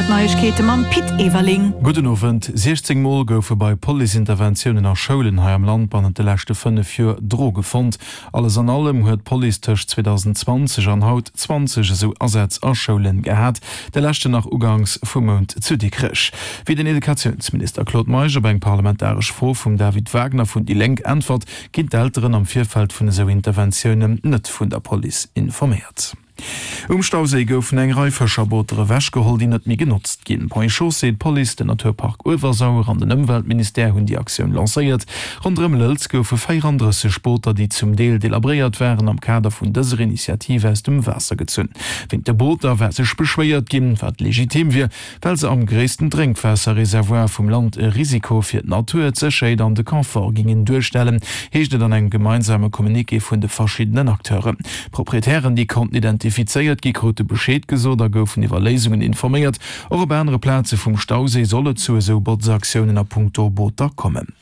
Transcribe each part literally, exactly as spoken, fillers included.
Neiegkeete mam Pit Everling. Gudden Owend. siechzéng Mol goufe bei Police-Interventiounen a Schoulen hei am Land bannent de leschte fënnef Joer Droge fonnt. Alles an allem huet d'Police tëscht zweedausendzwanzeg an haut zwanzeg esou Asätz a Schoulen gehat, de leschten nach uganks vum Mount zu Dikrech. Wéi den Educatiounsminister Claude Meisch op eng parlamentaresch Fro vum David Wagner vun déi Lénk äntwert, ginn d'Elteren am Virfeld vun esou Interventiounen net vun der Police informéiert. Um Stauséi goufen eng Rei Fëscherbooter ewechgeholl, déi net méi genotzt ginn. Ponts et Chaussées, d'Police, den Naturpark Uewersauer an den Ëmweltministère hunn déi Aktioun lancéiert. Ronderëm Lëlz goufe véierandrësseg Booter, déi zum Deel delabréiert waren, am Kader vun dëser Initiativ aus dem Waasser gezunn. Wéint de Booter war sech beschwéiert ginn, wat legitim wier, well se am gréissten Drénkwaasserreservoir vum Land e Risiko fir d'Natur, d'Sécherheet an de Confort géingen duerstellen, heescht et an engem gemeinsame Communiqué vun de verschiddenen Acteuren. D'Proprietären, déi konnten identifizéiert gi, krute Bescheed gesot a goufen iwwer Léisungen informéiert. Och op anere Plaze vum Stauséi soll et zu esou Botz-Aktiounen a punkto Booter kommen.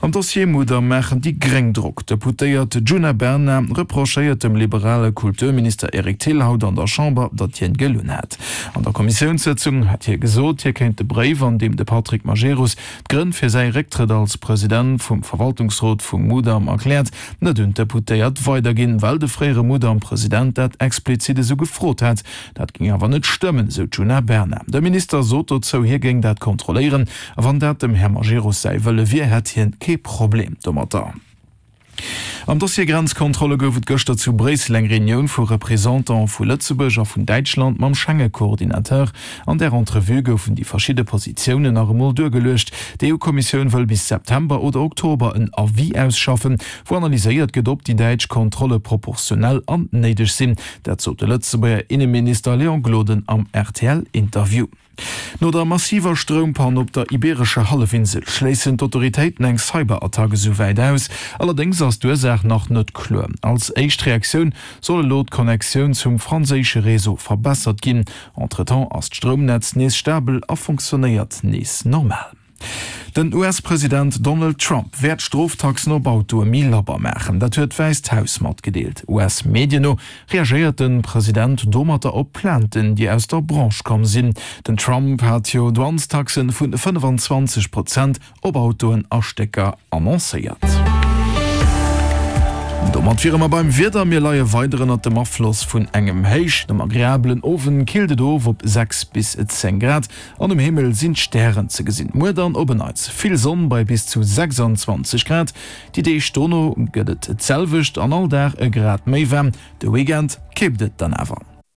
Am Dossier Mudam maachen déi Gréng Drock. D'Deputéiert Djuna Bernard reprochéiert dem liberale Kulturminister Eric Thill haut an der Chamber, datt hien gelunn hätt. An der Kommissiounssëtzung hat hie gesot, hie kéint de Bréif, an deem de Patrick Majerus d'Grënn fir säi Récktrëtt als President vum Verwaltungsrot vum Mudam erkläert, net un d'Deputéiert weiderginn, well de fréiere Mudam-President dat explizit esou gefrot hätt. Dat géing awer net stëmmen, esou d'Djuna Bernard. De Minister sot dozou, hie géing dat kontrolléieren a wann dat dem Här Majerus säi Wëlle wier, hätt hien kee Problem domatter. Am Dossier Grenzkontrolle gouf et gëschter zu Bréissel eng Reunioun vu Representantë vu Lëtzebuerg a vun Däitschland mam Schenge-Coordinateur. An där Entrevue goufen déi verschidde Positiounen nach emol duergeluecht. D'EU-Kommissioun wëll bis September oder Oktober en Avis ausschaffen, wou analyséiert gëtt, ob déi däitsch Kontrolle proportionell an néideg sinn. Dat sot de Lëtzebuerger Inneminister Léon Gloden am R T L-Interview. No der massiver Stroumpann op der ibeerescher Hallefinsel schléissen d'Autoritéiten eng Cyberattack esou wäit aus. Allerdéngs ass d'Ursaach nach net kloer. Als éischt Reaktioun soll elo d'Connectioun zum franséische Réseau verbessert ginn. Entretemps ass d'Stroumnetz nees stabel a fonctionnéiert nees normal. Den U S-President Donald Trump wäert d'Stroftaxen op Autoe méi labber maachen. Dat huet d'Wäisst Haus matgedeelt. U S-Medien no reagéiert de President domatter op Plainten, déi aus der Branche komm sinn. Den Trump hat jo Douanestaxe vu fënnefenzwanzeg Prozent op Autoen a Stécker annoncéiert. Domat wiere mer beim Wieder, Mir leie weider ënnert dem Afloss vun engem Héich. Nom agreabelen Owend killt et of op sechs bis zéng Grad an um Himmel sinn d'Stären ze gesinn. Muer dann op en Neits vill Sonn bei bis zu sechsanzwanzeg Grad. Déi Deeg dono gëtt et d'selwecht an all Dag e Grad méi waarm. De Weekend kippt et dann awer.